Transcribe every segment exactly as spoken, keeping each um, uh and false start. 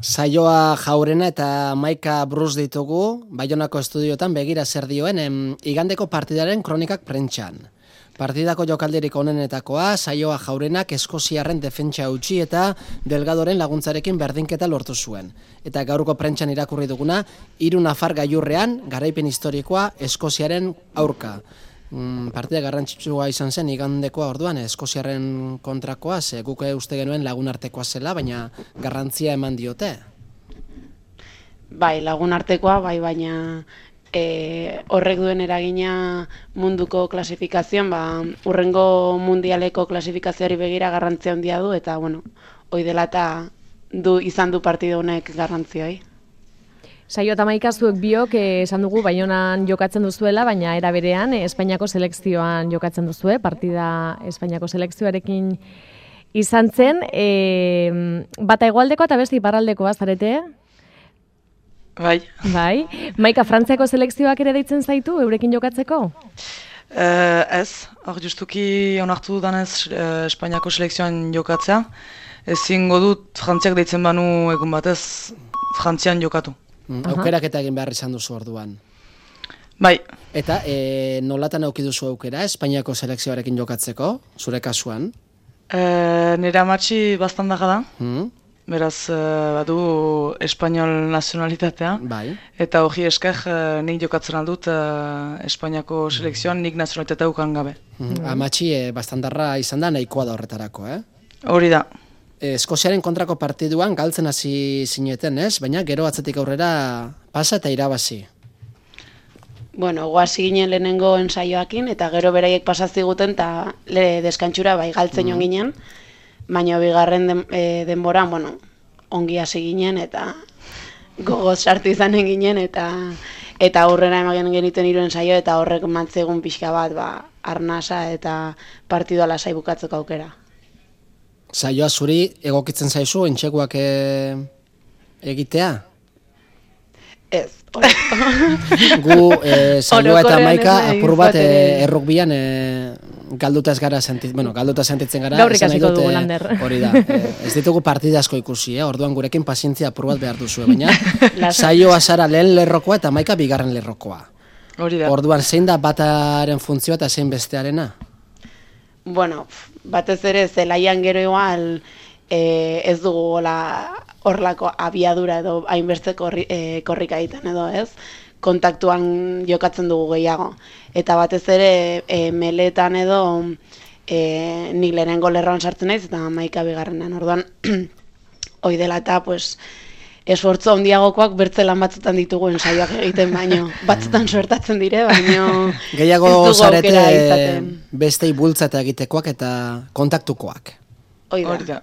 Saioa Jaurena eta Maika Bruce ditugu, Baionako estudiotan begira zer dioen em, igandeko partidaren kronikak prentxan. Partidako jokaldirik onenetakoa, Saioa Jaurenak Eskoziarren defentsa utzi eta Delgadoren laguntzarekin berdinketa lortu zuen. Eta gaurko prentxan irakurri duguna, hiru nafar gailurrean garaipen historikoa Eskoziaren aurka. Mm, partida garrantzitsua izan zen igandekoa orduan Eskoziarren kontrakoa, ze guk uste genuen lagunartekoa zela, baina garrantzia eman diote. Bai, lagunartekoa, bai, baina e, horrek duen eragina munduko klasifikazioan, ba, urrengo mundialeko klasifikazioari begira garrantzia handia du, eta, bueno, hoi dela eta du, izan du partido honek garrantzioi. Saio eta Maika zuek biok esan dugu Baionan jokatzen duzuela, baina era berean Espainiako selekzioan jokatzen duzue, partida Espainiako selekzioarekin izan zen, e, bata hegoaldekoa eta beste iparraldekoa zarete? Bai. Bai. Maika, Frantziako selekzioak ere deitzen zaitu eurekin jokatzeko? Uh, ez, hor justuki onartu danez uh, Espainiako selekzioan jokatzea. Ezingo dut Frantziak deitzen banu egun batez Frantzian jokatu. Mm, aukerak eta egin behar izan duzu orduan. Bai. Eta e, nolatan auki duzu aukera Espainiako selekzioarekin jokatzeko, zure kasuan? E, nire amatxi bastandaga da. Mm. Beraz, e, badu espainol nazionalitatea. Bai. Eta hori esker e, nik jokatzen aldut e, Espainiako selekzioan nik nazionalitatea ukan gabe. Mm. Amatxi e, bastandarra izan da nahikoa da horretarako, eh? Hori da. Eskoziaren kontrako partiduan galtzen hasi zineten, ez? Baina gero atzetik aurrera pasa eta irabazi. Bueno, goazi ginen lehenengo ensaioakin, eta gero beraiek pasaziguten, eta le deskantxura bai galtzen joan ginen, baina bigarren den, e, denboran, bueno, ongi hasi ginen, eta gogoz sartu izanen ginen, eta eta aurrera emagen genituen hiru ensaio, eta horrek mantzegun pixka bat, ba, arnasa eta partidua lasai bukatzeko aukera. Saioa zuri egokitzen zaizu entxeguak e... egitea? Ez. Gu e, Saioa eta Maika apur bat e, errukbian e, galduta ez gara sentitzen, bueno, galduta sentitzen gara. Gaur ikasiko dugu lander. Hori da. E, ez ditugu partida asko ikusi, eh? Orduan gurekin pazientzia apur bat behar duzu, baina Saioa zara lehen lerrokoa eta Maika bigarren lerrokoa. Hori da. Orduan zein da bataren funtzioa eta zein bestearena? Bueno, batez ere zelaian gero igual e, ez dugu horlako abiadura edo hainbeste korri, e, korrika egiten edo ez, kontaktuan jokatzen dugu gehiago. Eta batez ere e, meletan edo e, nik lehenengo lerroan sartzen naiz eta Maika bigarrenan. Orduan, hoi dela eta pues, esfortzu handiagokoak bertzelan batzutan ditugu ensaioak egiten baino. Batzutan suertatzen dire, baino gehiago zarete bestei bultzata egitekoak eta kontaktukoak. Hoi da.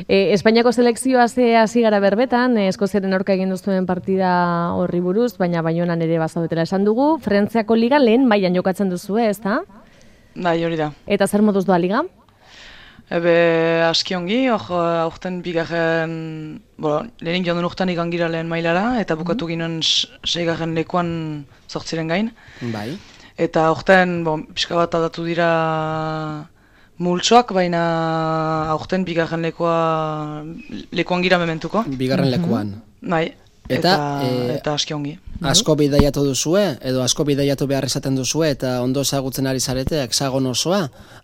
E, Espainiako selekzioa ze hasi gara berbetan, Eskoziaren aurka egin duzuen partida horri buruz, baina Baionan ere bazaudetela esan dugu. Frantziako liga lehen mailan jokatzen duzu, ez da? Bai, hori da. Eta zer moduz doa liga? Ebe, aski ongi, hor aurten bigarren, bo, lehenik joan duen urtean igan gira lehen mailara, eta bukatu ginen seigarren lekuan zortziren gain. Bai. Eta aurten, bo, pixka bat aldatu dira multsoak, baina aurten bigarren lekoa, lekuan gira mementuko. Bigarren lekuan. Bai, eta, eta, e, eta aski ongi. Asko bidaiatu duzue, edo asko bidaiatu behar izaten duzue, eta ondo ezagutzen ari zarete, hexagon osoa,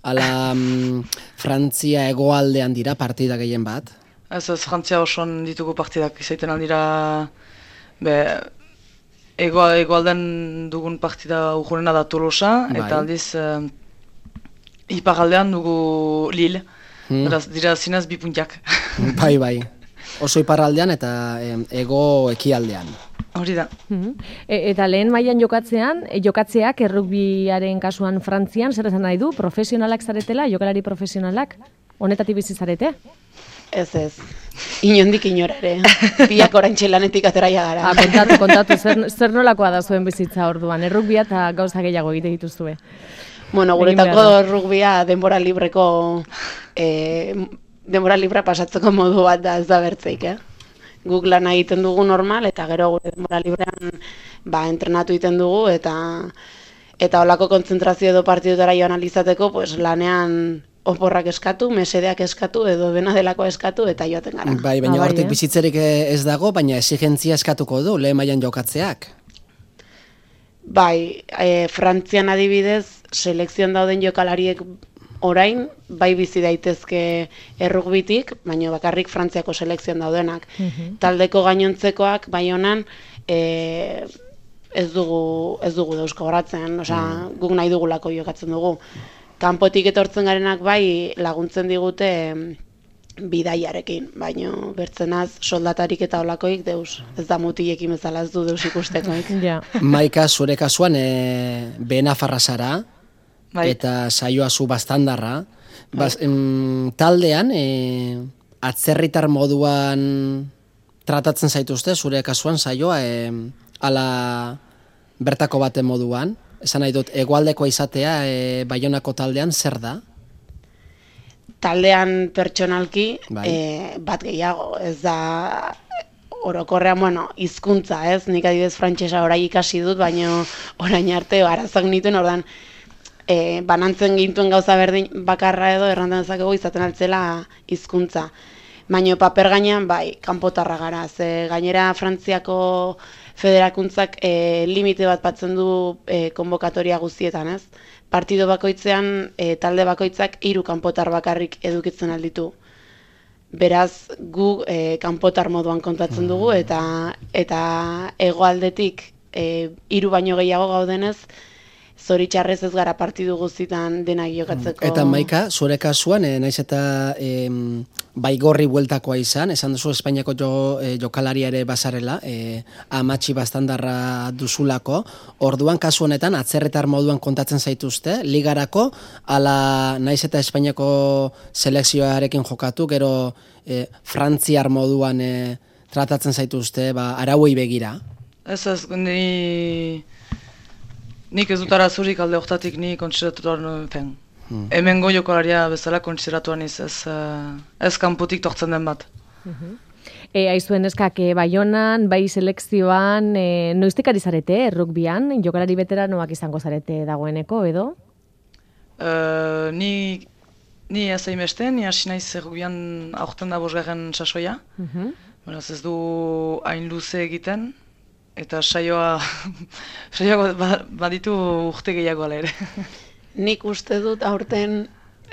ala mm, Frantzia hegoaldean dira partida gehien bat? Ez ez, Frantzia osoan ditugu partidak izaiten aldira, be, ego, hegoaldean dugun partida urgunena da Tolosa, bai. Eta aldiz, uh, iparaldean dugu Lille, hmm. Beraz, dira zinez bi puntiak. Bai, bai. Oso iparraldean eta ego ekialdean. Hori da. E, eta lehen mailan jokatzean, e, jokatzeak errugbiaren kasuan Frantzian, zer esan nahi du? Profesionalak zaretela, jokalari profesionalak? Honetatik bizi zarete? Ez ez. Inondik inora ere. Biak oraintxe lanetik ateraia gara. Ah, kontatu, kontatu, zer, zer nolakoa da zuen bizitza orduan? Errugbia eta gauza gehiago egite dituzue. Bueno, guretako errugbia denbora libreko... E, denbora libra pasatzeko modu bat da ez da bertzeik, eh? Guk lan egiten dugu normal, eta gero gure denbora librean ba, entrenatu egiten dugu, eta eta holako kontzentrazio edo partidutara joan alizateko, pues, lanean oporrak eskatu, mesedeak eskatu, edo dena delako eskatu, eta joaten gara. Bai, baina ah, hortik bai, eh? bizitzerik ez dago, baina exigentzia eskatuko du, lehen mailan jokatzeak. Bai, e, Frantzian adibidez, selekzioan dauden jokalariek orain, bai bizi daitezke errugbitik, baina bakarrik Frantziako selekzioan daudenak. Mhm. Taldeko gainontzekoak, bai honan, e, ez dugu, ez dugu dauzko horatzen, osea, guk nahi dugulako jokatzen dugu. Kanpotik etortzen garenak bai laguntzen digute bidaiarekin, baino bertzenaz soldatarik eta olakoik deus, ez da mutilekin bezala ez du deus ikustekoik. Ja. Maika, zure kasuan, e, behenafarra zara, Bai. eta saioa zu bastandarra. Bas, em, taldean, e, atzerritar moduan tratatzen zaituzte, zure kasuan saioa, e, ala bertako baten moduan. Esan nahi dut, hegoaldekoa izatea e, Baionako taldean zer da? Taldean pertsonalki Bai. e, bat gehiago, ez da orokorrean, bueno, hizkuntza, ez? Nik adibidez frantsesa orain ikasi dut, baina orain arte arazak nituen, ordan e, banantzen gintuen gauza berdin bakarra edo errantzen dezakegu izaten altzela hizkuntza. Baina paper gainean, bai, kanpotarra gara, ze gainera Frantziako federakuntzak e, limite bat batzen du e, konbokatoria guztietan, ez? Partido bakoitzean, e, talde bakoitzak hiru kanpotar bakarrik edukitzen alditu. Beraz, gu e, kanpotar moduan kontatzen dugu, eta eta hegoaldetik e, hiru baino gehiago gaudenez, zoritxarrez ez gara partidu guztitan denak jokatzeko. Eta Maika, zure kasuan, e, naiz eta e, baigorri bueltakoa izan, esan duzu Espainiako jo, e, jokalaria ere bazarela, e, amatxi bastandarra duzulako, orduan kasu honetan atzerretar moduan kontatzen zaituzte, ligarako, ala naiz eta Espainiako selekzioarekin jokatu, gero e, frantziar moduan e, tratatzen zaituzte, ba, arauei begira. Ez ez, ni... Nik ez dut arazurik alde hortatik ni kontsideratuan fen. Hmm. Hemengo jokalaria bezala kontsideratuan iz, ez, uh, ez kanpotik tortzen den bat. E, aizuen eskak, e, Baionan, bai selekzioan, e, noiztik ari zarete, rugbyan, jokalari veteranoak izango zarete dagoeneko, edo? Uh, ni ni ez hainbeste, ni hasi naiz rugbyan aurten da bosgarren sasoia. Mhm. Beraz ez du hain luze egiten. Eta saioa, saioa baditu urte gehiago ala ere. Nik uste dut aurten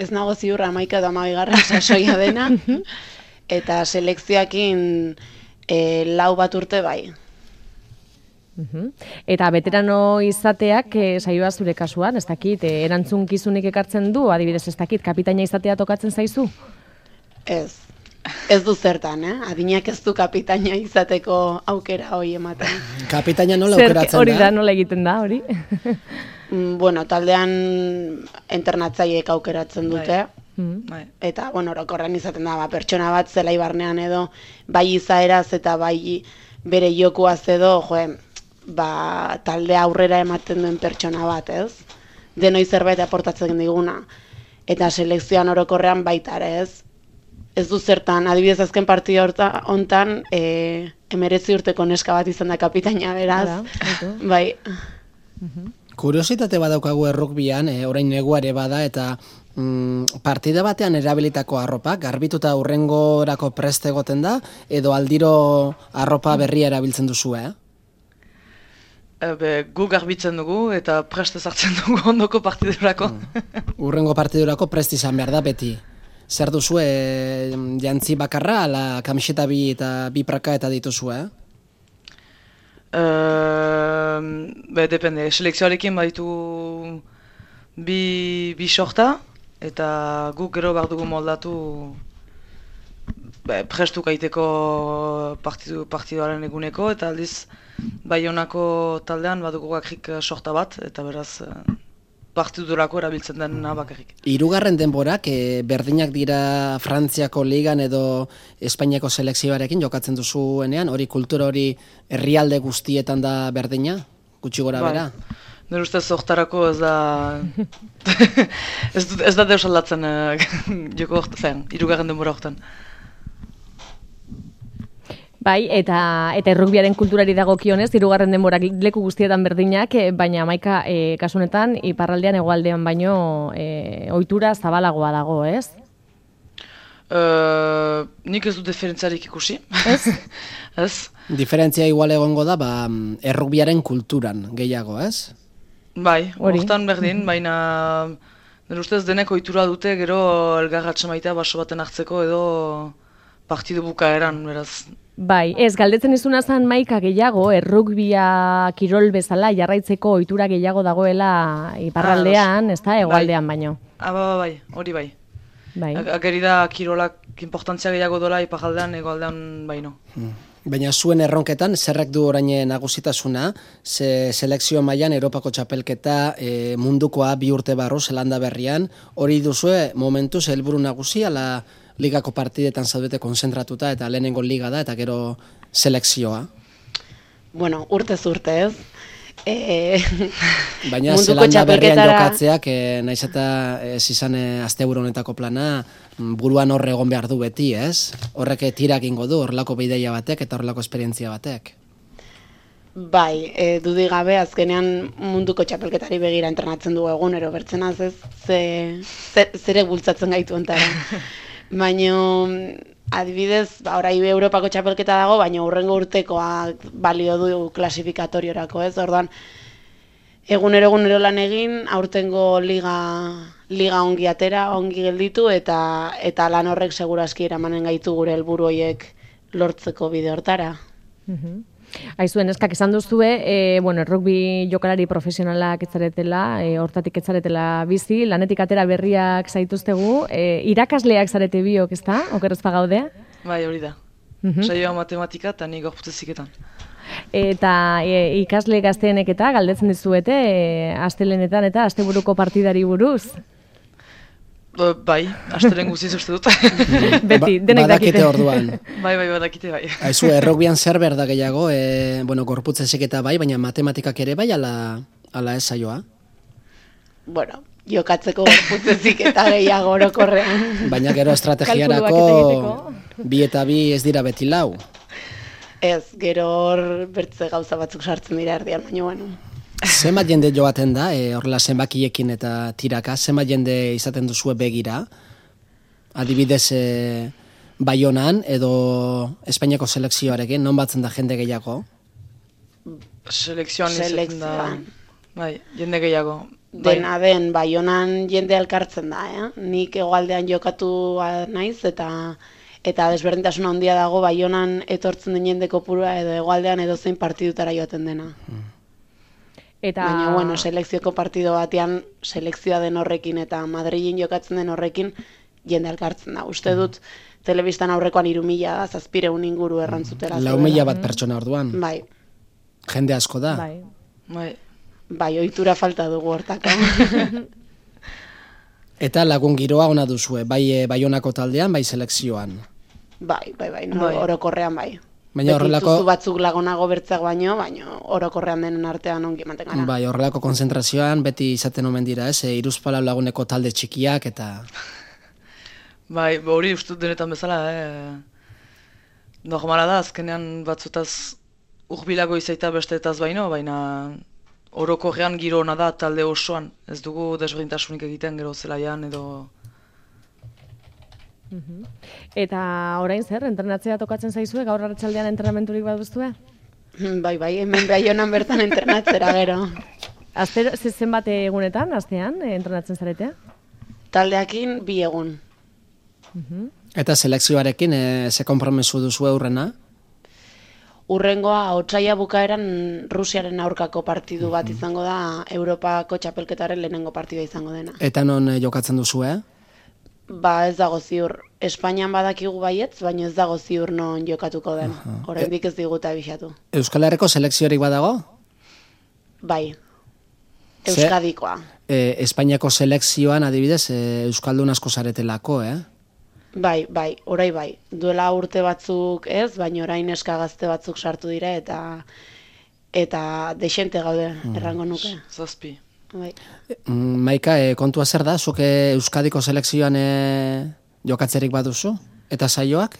ez nago ziurra hamaika eta hamabigarren sasoia dena, eta selekzioakin e, lau bat urte bai. Mhm. Eta veterano izateak e, saioa zure kasuan, ez dakit, e, erantzunkizunik ekartzen du, adibidez ez dakit, kapitaina izatea tokatzen zaizu? Ez. Ez du zertan, eh? Adinak ez du kapitaina izateko aukera hori ematen. Kapitaina nola Zer, aukeratzen hori da, da? nola egiten da, hori? Mm, bueno, taldean internatzaileek aukeratzen dute. Mhm. Bai. Eta, bueno, orokorrean izaten da, ba, pertsona bat zelai barnean edo, bai izaeraz eta bai bere jokuaz edo, joe, ba, talde aurrera ematen duen pertsona bat, ez? Denoi zerbait aportatzen diguna. Eta selekzioan orokorrean baita ere, ez? Ez du zertan, adibidez azken partida hontan, e, emeretzi urteko neska bat izan da kapitaina, beraz. Hala, Bai. Kuriositate badaukagu errukbian, e, orain negua ere bada, eta mm, partida batean erabilitako arropak, garbituta hurrengorako prest egoten da, edo aldiro arropa berria erabiltzen duzu, eh? Ebe, gu garbitzen dugu eta prest ezartzen dugu ondoko partidurako. Hurrengo partidurako prest izan behar da beti. Zer duzu, e, jantzi bakarra, ala kamiseta bi eta bi praka eta dituzu, eh? Uh, be, depende, selekzioarekin baditu bi, bi sorta, eta guk gero behar dugu moldatu be, prestuk aiteko partidu, partiduaren eguneko, eta aldiz Baionako taldean badugu gakrik sorta bat, eta beraz partidurako erabiltzen dena bakarrik. Hirugarren denborak e, berdinak dira Frantziako ligan edo Espainiako selekzioarekin jokatzen duzuenean, hori kultura hori herrialde guztietan da berdina, gutxi gora bera? Bai. Nire ustez hortarako ez da ez, dut, ez da deus aldatzen uh, joko hortan, hirugarren denbora hortan. Bai, eta eta errugbiaren kulturari dagokionez, hirugarren denborak leku guztietan berdinak, baina Maika e, kasu honetan iparraldean hegoaldean baino e, ohitura zabalagoa dago, ez? Uh, nik ez du diferentziarik ikusi. Ez? Ez. Diferentzia igual egongo da, ba, errugbiaren kulturan gehiago, ez? Bai, hortan berdin, baina nire ustez denek ohitura dute gero elgarratxe maitea baso baten hartzeko edo partidu bukaeran, beraz. Bai, ez, galdetzen izuna zen Maika gehiago, errugbia kirol bezala jarraitzeko ohitura gehiago dagoela iparraldean, ez da, hegoaldean baino. Ah, bai, bai, hori bai. Bai. Ageri da kirolak importantzia gehiago dola iparraldean, hegoaldean baino. Hmm. Baina zuen erronketan, zerrek du orain nagusitasuna, ze selekzio mailan Europako txapelketa e, mundukoa bi urte barru Zelanda berrian, hori duzue momentuz helburu nagusi, ala ligako partidetan zaudete konzentratuta eta lehenengo liga da eta gero selekzioa? Bueno, urtez urte ez. E, Baina Zelanda berrian jokatzeak, e, naiz eta ez izan e, asteburu honetako plana, buruan horre egon behar du beti, ez? Horrek tirak ingo du, horrelako bideia batek eta horrelako esperientzia batek. Bai, e, dudik gabe azkenean munduko txapelketari begira entrenatzen dugu egunero, bertzenaz ez, ze, ze, zere bultzatzen gaitu ontara. Baina, adibidez, ba, orai Europako txapelketa dago, baina hurrengo urtekoa balio du klasifikatoriorako, ez? Orduan, egunero egunero lan egin, aurtengo liga, liga ongi atera, ongi gelditu, eta eta lan horrek seguraski eramanen gaitu gure helburu horiek lortzeko bide hortara. Mhm. Aizuen, eskak esan duzue, e, bueno, rugby jokalari profesionalak etzaretela, e, hortatik etzaretela bizi, lanetik atera berriak zaituztegu, e, irakasleak zarete biok, ez da? Okerrez pagaudea? Bai, hori da. Mhm. Saioa matematika eta ni gorputzeziketan. Eta e, ikasle gazteenek eta galdetzen dizuete, e, astelenetan eta asteburuko partidari buruz? Bai, astelen guziz uste dut. Beti, denek badakite orduan. Bai, bai, badakite bai. Aizu, errugbian zer behar da gehiago, e, bueno, gorputzezek eta bai, baina matematikak ere bai, ala, ala ez saioa? Bueno, jokatzeko gorputzezik eta gehiago orokorrean. Baina gero estrategiarako bi eta bi ez dira beti lau. Ez, gero hor bertze gauza batzuk sartzen dira erdian, baina bueno. Zenbat jende joaten da, e, horrela zenbakiekin eta tiraka, zenbat jende izaten duzue begira? Adibidez, e, Baionan edo Espainiako selekzioarekin, non batzen da jende gehiago? Selekzioan izaten da, bai, jende gehiago. Dena den, Baionan jende elkartzen da, eh? Nik hegoaldean jokatu naiz eta eta desberdintasun handia dago Baionan etortzen den jende kopurua edo hegoaldean edozein partidutara joaten dena. Hmm. Eta... Baina, bueno, selekzioko partido batean, selekzioa den horrekin eta Madrilin jokatzen den horrekin, jende elkartzen da. Uste dut, telebistan aurrekoan hiru mila da, zazpireun inguru errantzutera. Lau mila bat pertsona orduan. Bai. Jende asko da. Bai. Bai. Bai, ohitura falta dugu hortako. Eta lagun giroa ona duzue, bai e, Baionako taldean, bai selekzioan. Bai, bai, bai, no, Bai. orokorrean bai. Baina horrelako... Beti batzuk lagonago bertzak baino, baino orokorrean denen artean ongi ematen gara. Bai, horrelako konzentrazioan beti izaten omen dira, ez? E, hiruzpalau laguneko talde txikiak eta... Bai, hori uste dut denetan bezala, eh? Normala da, azkenean batzutaz urbilago izaita besteetaz baino, baina orokorrean giro ona da talde osoan. Ez dugu desberdintasunik egiten gero zelaian edo... Mhm. Eta orain zer, entrenatzea tokatzen zaizue, gaur arratsaldean entrenamenturik baduzue? Bai, bai, hemen Baionan bertan entrenatzera gero. Astero, zenbat egunetan, astean, eh, entrenatzen zaretea? Taldeakin bi egun. Mhm. Eta selekzioarekin, e, ze konpromesu duzu eurrena? Urrengoa, otsaila bukaeran Rusiaren aurkako partidu bat izango da, Europako txapelketaren lehenengo partidua izango dena. Eta non e, jokatzen duzu, eh? Ba, ez dago ziur. Espainian badakigu baietz, baina ez dago ziur non jokatuko den. Oraindik ez digute abisatu. Euskal Herriko selekziorik badago? Bai. Ze- Euskadikoa. E, Espainiako selekzioan adibidez e, Euskaldun asko zaretelako, eh? Bai, bai, orai bai. Duela urte batzuk ez, baina orain neska gazte batzuk sartu dira eta eta dexente gaude, errango nuke. Zazpi. Bai. Mm, Maika, e, kontua zer da? Zuk e, Euskadiko selekzioan e, jokatzerik baduzu? Eta saioak?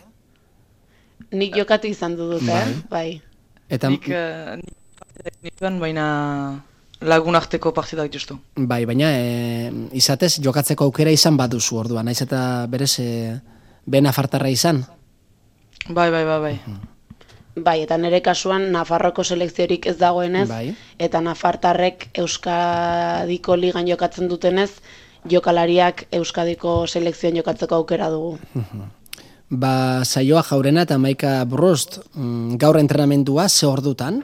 Nik jokatu izan dut, eh? Bai. Eta... Nik, uh, nik nituen, baina lagun arteko partidak justu. Bai, baina e, izatez jokatzeko aukera izan baduzu orduan, naiz eta berez e, be nafartarra izan? Bai, bai, bai, bai. Bai, eta nire kasuan Nafarroko selekziorik ez dagoenez, bai. Eta nafartarrek Euskadiko ligan jokatzen dutenez, jokalariak Euskadiko selekzioan jokatzeko aukera dugu. Ba, Saioa Jaurena eta Maika Brust, gaur entrenamendua ze ordutan?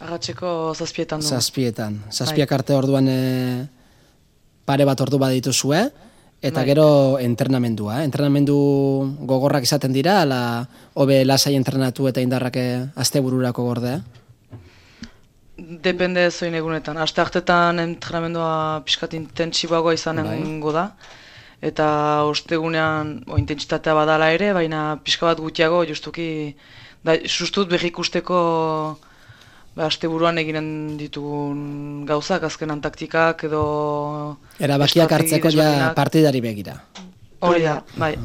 Arratxeko zazpietan du. Zazpietan. Zazpiak arte orduan e, pare bat ordu badituzue, eta bai. Gero entrenamendua. Eh? Entrenamendu gogorrak izaten dira, ala hobe lasai entrenatu eta indarrak astebururako gorde? Depende zoin egunetan. Aste hartetan entrenamendua pixkat intentsiboagoa izanengo da. Eta ostegunean o, intentsitatea badala ere, baina pixka bat gutiago, justuki, da, sustut berrikusteko ba, asteburuan eginen ditugun gauzak, azkenan taktikak edo... Erabakiak hartzeko ja partidari begira. Hori da, bai.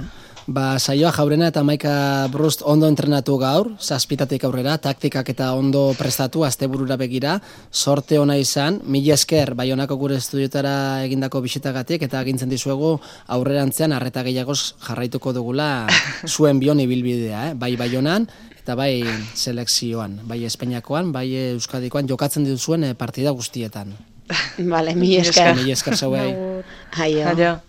Ba, Saioa Jaurena eta Maika Brust ondo entrenatu gaur, zazpitatik aurrera, taktikak eta ondo prestatu, asteburura begira, sorte ona izan, mila esker Baionako gure estudiotara egindako bisitagatik, eta agintzen dizuegu aurrerantzean arreta gehiagoz jarraituko dugula zuen bion ibilbidea, eh? Bai Baionan, eta bai selekzioan, bai Espainiakoan, bai Euskadikoan jokatzen dituzuen partida guztietan. Vale, mila esker. Mila esker zauei. Aio.